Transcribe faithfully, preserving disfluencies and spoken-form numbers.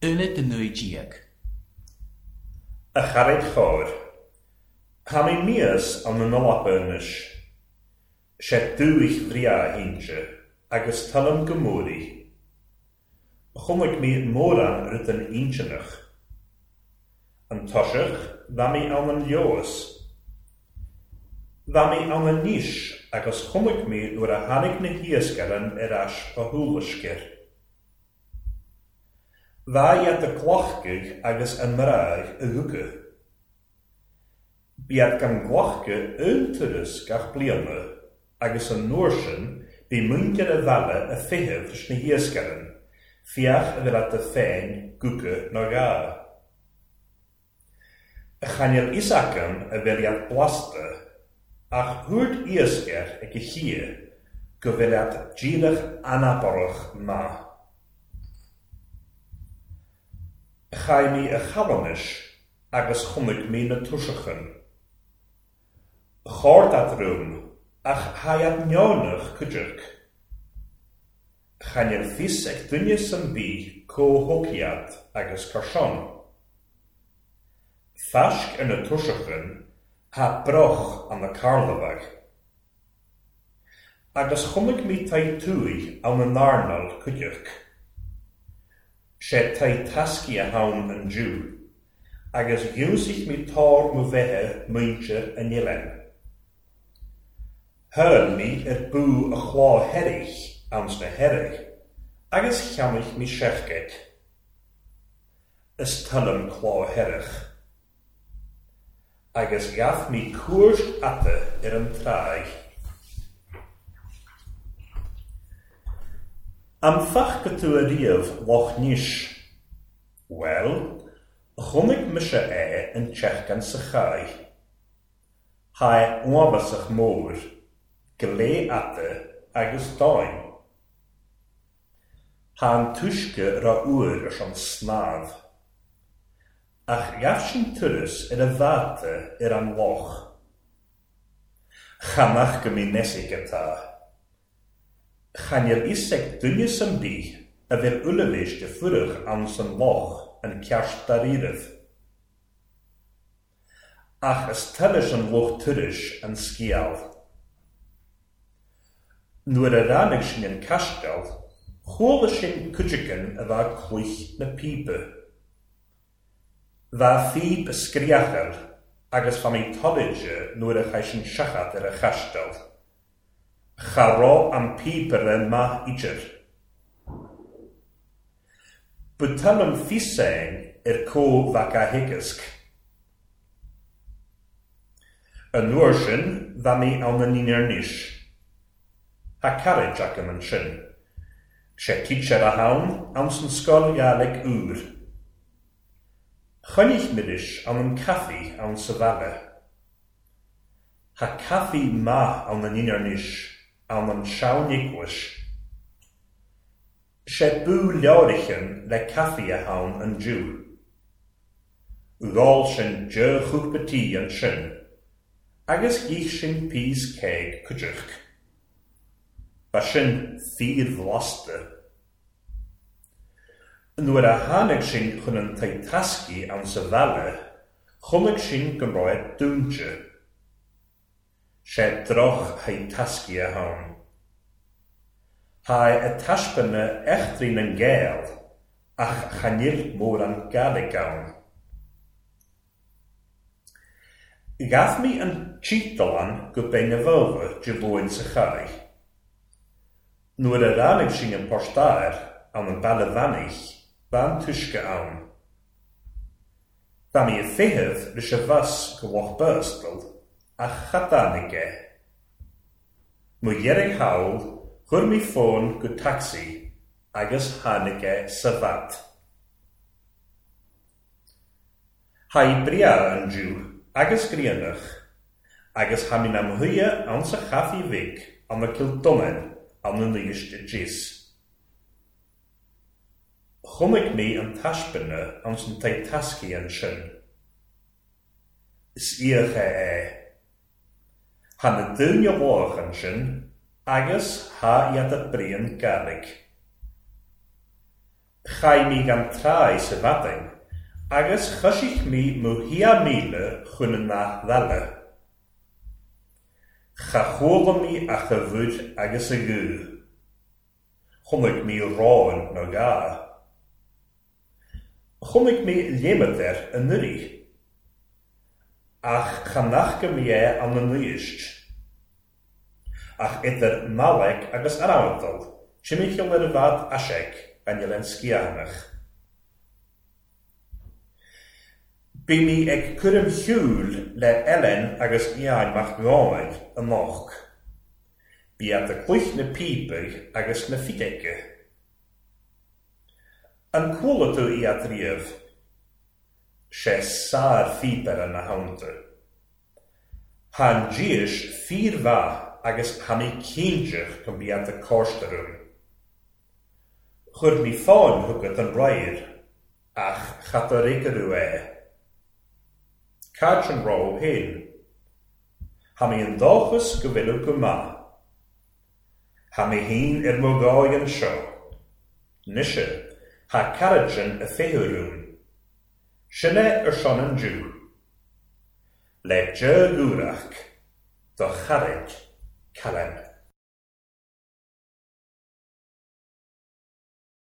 Aonad a naoi déag. A charaid chóir, Tha mi míos ann an leaba anois. Sé dúich bhreá a hinnse agus tuillim go mór í. Chonaic mé mórán rudaí intinneach. An toiseach, bha mi ann an leabhas. Bha mi ann anois agus chonaic mé nuair a tháinig na hiascairí ar ais ó shúiliscir. Bha iad a glacadh agus a mbrath i gcuca. B'iad gan glacadh aon turas gach bliana agus an uair sin bhí muintir a bhaile a feitheamh leis na hiascairí, fiach a bhí leat féin gcuca nó dhá. Chan eil fhios agam a bhfuil iad blasta, ach thuairt iascaire ag a chia go bhfuil iad díreach anabarach maith. Chaith mé a chalanais agus chonaic mé na tuiseachan. Chóir dat rúm, ach tha iad neonach cuideach. Chan eil fios ag duine san bith comhthócaíocht agus carsean. Faisc ar na tuiseachan, tha broch an na carlabhach. Agus chonaic mé taigh tuaidh ann an earnáil cuideach. Sé taigh tascaí a thann an Jew, agus dhiúsaigh mé tóir mo bheithe muintir an oileáin. Thuill mé ar bú a chlá heirich ann sna heirich, agus cheannaigh mé seachgait. Is tuillim clá heirich. Agus ghabh mé cuairt ata ar an tráigh. Am fach go tú ariamh Loch Nis? Well, chonaic mise é an tseachtain sa chaith. Tha é uafásach mór, glé ata agus domhain. Tha an t-uisce ró-fhuar ar son snámh. Ach ghabh sin turas ar a bháta ar an loch. Chanach go mbí nesaigh atá. Chan eil fhios ag duine san bith a bhfuil uilbhéis de fuireach ann san loch an ceart dáiríribh. Ach is tuilis an lucht turais an scéal. Nuair a ráinig sin an caisteal, chuala sin cuideachtain a bheith cloich na píbe. Bha phíb scríochal agus bha mé tolaide nuair a chaith sin seachat ar a chaisteal. Cha raibh an píobaire maith idir. Ba tuillim físeáin ar comh-mhac a theagasc. An uair sin, bha mé ann an Inner-Nis. Tha carraid agam ansin. Sé teacher a thann ann san scoil Ghaelic úr. Choinnigh miris ann an caife ann sa bhaile. Tha caife maith ann an Inner-Nis ann an sean-eaglais. Sé bú leabhraichean le caife a thann an Jew. Ghabháil sin deich chúpla tí ansin, agus dhith sin píos céig cuideach. Ba sin fíorbhlasta. Nuair a tháinig sin chun an taigh tascaí ann sa bhaile, chonaic sin go raibh dúinte. Sé droch thaigh tascaí a thann. Tha a taispeánadh eachtraí na nGael, ach chan eil mórán Gaelic ann. Ghabh mé an títealán go Beinn na Bhótha de Luain sa chaith. Nuair a ráinig sin an postáir ann an baile bheannaigh, bha an t-uisce ann. Bha mé ag feitheamh leis an bhus go Loch Bostal, ach cha dtáinig é. Mo dheireadh thall, chuir mé fón go tacsaí agus tháinig é sa bhat. Tha i breá an Jew agus grianach, agus tha mé nam shuighe ann sa chaife bhig ann na Kildonan ann na Nuiste Gis. Chonaic mé an taispeánadh ann san taigh tascaí ansin. Is íoch é é. Tha na daoine lách ansin agus tha iad a bpríon Gaelic. Chaith mé gan tráigh sa mhaidin agus choisigh mé mo thia míle chun an nath eile. Cha chuala mé ach a bhud agus a ghuth. Chonaic mé ráin nó dhá. Chonaic mé léimead air anuraidh. Ach chan fhaca mé é ann anois. Ach idir Mallaig agus Arramhatal, timcheall ar a bhfad aisig an Oileán Sgiathanach. Bhí mé ag cur im shiúil le Ellen agus Eoin Mac Gabhann anocht. Bhí iad ag cluich na píopaí agus na fideice. An cuala tú iad riamh? Sé sár-phíopaire na theannta. Tá an díis fíormhaith agus tá mé cinnteach go mbíonn ag cóiste orm. Chuir mé fáin chugat an rair, ach cha d'fhreagraíodh é. Cad sin rá féin? Tá mé an dóchas go bhfuil go maith. Tá mé féin ar mo dhóigh anseo. Mise, tá carad sin a féithiú orm. Sin é ar son an Jew. Le dea-ghuaireach, do charaid, Callan.